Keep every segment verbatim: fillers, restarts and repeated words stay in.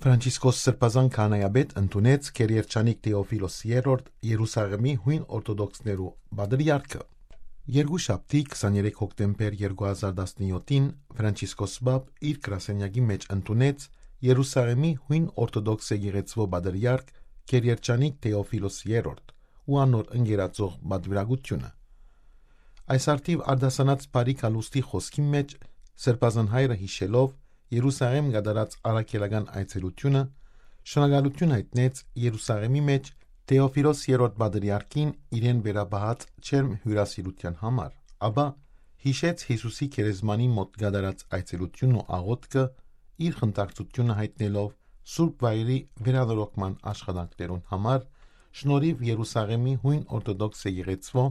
Ֆրանցիսկոս Սրբազան քահանայապետ ընդունեց Քերիերջանիկ Թեոֆիլոս Երրորդ՝ Երուսաղեմի յոյն օրթոդոքսներու պատրիարքը։ Երկու շաբթի, քսաներեք հոկտեմբեր երկու հազար տասնյոթին, Ֆրանցիսկոս Պապ իր գրասենյակի մէջ ընդունեց Երուսաղեմի յոյն օրթոդոքս եկեղեցւոյ պատրիարք Քերիերջանիկ Թեոֆիլոս Երրորդ ու անոր ընկերաձող պատուիրակութիւնը։ Այս առթիւ արտասանած բարի գալուստի խօսքին մէջ Սրբազան հայրը, յիշելով Երուսաղեմ կատարած առաքելական այցելութիւնը, շնորհակալութիւն յայտնեց Երուսաղեմի մէջ Թեոֆիլոս Երրորդ պատրիարքին իրեն վերապահած ջերմ հիւրասիրութեան համար, ապա յիշեց Յիսուսի գերեզմանին մօտ կատարած այցելութիւնն ու աղօթքը, իր խնդակցութիւնը յայտնելով Սուրբ Վայրի վերանորոգման աշխատանքներուն համար, շնորհիւ Երուսաղեմի յոյն օրթոդոքս եկեղեցւոյ,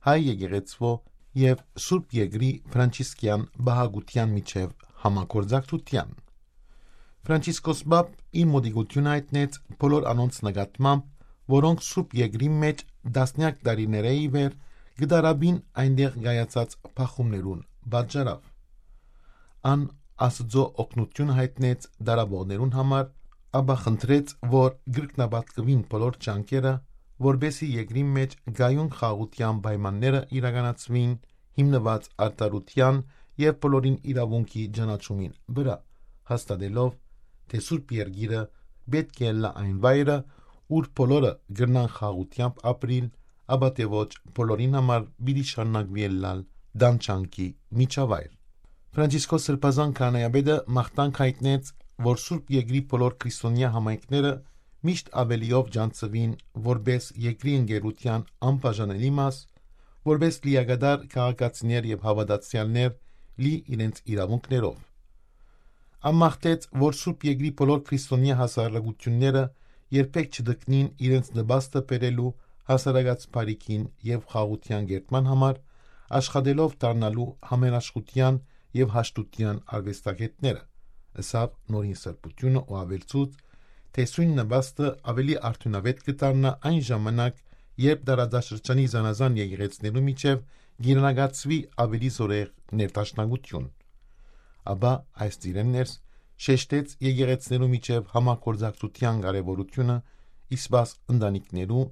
հայ եկեղեցւոյ եւ Սուրբ Երկրի Ֆրանցիսկեան պահակութեան միջեւ համագործակցութեան։ Ֆրանցիսկոս Պապ իր մոտիկութիւնը յայտնեց բոլոր անոնց նկատմամբ, որոնք Սուրբ Երկրի մէջ տասնեակ տարիներէ ի վեր կը տարապին այնտեղ կայացած բախումներուն պատճառաւ։ Ան Աստուծոյ օգնութիւնը յայտնեց տարապողներուն համար, ապա խնդրեց, որ կրկնապատկուին բոլոր ջանքերը, որպէսզի երկրին մէջ կայուն խաղաղութեան պայմանները իրականացուին, հիմնուած արդարութեան եւ բոլորին իրաւունքի ճանաչումին վրայ, հաստատելով, թէ Սուրբ Երկիրը պէտք է ըլլայ այն վայրը, ուր բոլորը կրնան խաղաղութեամբ ապրիլ, ապա թէ ոչ, բոլորին համար պիտի շարունակուի ըլլալ տան ջանքի միջավայր։ Ֆրանցիսկոս Սրբազան քահանայապետը մաղթանք յայտնեց, որ Սուրբ Երկրի բոլոր քրիստոնեայ համայնքները միշտ աւելիով ճանչցուին որպէս երկրի ընկերութեան անբաժանելի մաս, որպէս լիակատար քաղաքացիներ եւ հաւատացեալներ լի իրենց իրաւունքներով։ Ան մաղթեց, որ Սուրբ Երկրի բոլոր քրիստոնեայ հասարակութիւնները երբեք չտքնին իրենց նպաստը բերելու հասարակաց բարիքին եւ խաղաղութեան կերտման համար, աշխատելով դառնալու համերաշխութեան եւ հաշտութեան արուեստագետները, ըսաւ Նորին Սրբութիւնը ու աւելցուց, թէ սոյն նպաստը աւելի արդիւնաւէտ կը դառնայ այն ժամանակ, երբ տարածաշրջանի զանազան եկեղեցիներու միջեւ կիրնակացուի աւելի զօրեղ ներդաշնակութիւն։ Ապա այս ծիրէն ներս շեշտեց եկեղեցիներու միջեւ համագործակցութեան կարեւորութիւնը, իսկ բաց ընտանիքներու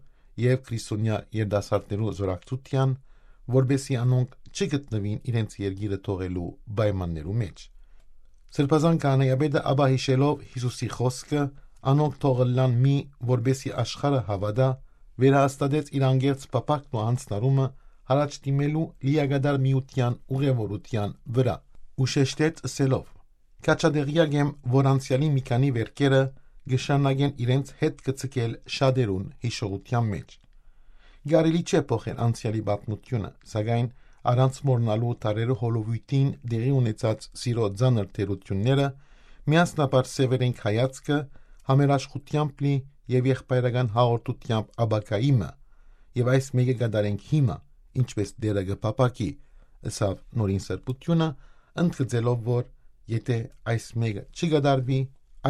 եւ քրիստոնեայ երիտասարդներու զօրակցութեան, որպէսզի անոնք չգտնուին իրենց երկիրը թողելու պայմաններու մէջ։ Սրբազան քահանայապետը ապա, յիշելով Յիսուսի խօսքը, «Անոնք թող ըլլան մի, որպէսզի աշխարհը հաւատայ», վերահաստատեց իր անկեղծ փափաքն ու յանձնառումը յառաջ դիմելու լիակատար միութեան ուղեւորութեան վրայ ու շեշտեց ըսելով. «Քաջատեղեակ եմ, որ անցեալի մի քանի վէրքերը կը շարունակեն իրենց հետքը ձգել շատերուն յիշողութեան մէջ։ Կարելի չէ փոխել անցեալի պատմութիւնը, սակայն առանց մոռնալու դարերը հոլովոյթին տեղի ունեցած սիրոյ ծանր թերութիւնները, միասնաբար սեւեռենք հայացքը համերաշխութեամբ լի եւ եղբայրական հաղորդութեամբ ապագայի մը, եւ այս մէկը կատարենք հիմա, ինչպէս Տէրը կը փափաքի», ըսաւ Նորին Սրբութիւնը, ընդգծելով, որ եթէ այս մէկը չի կատարուի,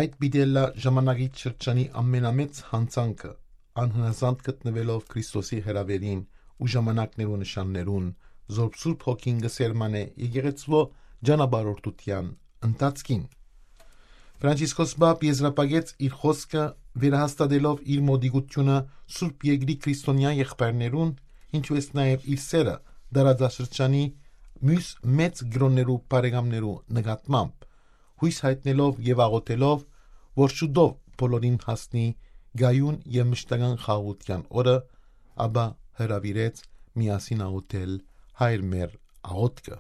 այդ պիտի ըլլայ ժամանակի շրջանի ամենամեծ յանցանքը, անհնազանդ գտնուելով Քրիստոսի հրաւերին ու ժամանակներու նշաններուն, զորբ Սուրբ Հոգին կը սերմանէ եկեղեցւոյ ճանապարհորդութեան ընթացքին։ Ֆրանցիսկոս Պապ եզրափակեց իր խօսքը՝ վերահաստատելով իր մոտիկութիւնը Սուրբ Երկրի քրիստոնեայ եղբայրներուն, ինչուէս նաեւ իր սերը տարածաշրջանի միւս մեծ կրօններու բարեկամներու նկատմամբ, յոյս յայտնելով եւ աղօթելով, որ շուտով բոլորին հասնի կայուն եւ մշտական խաղաղութեան օրը, ապա հրաւիրեց միասին աղօթել Հայր մեր աղօթքը։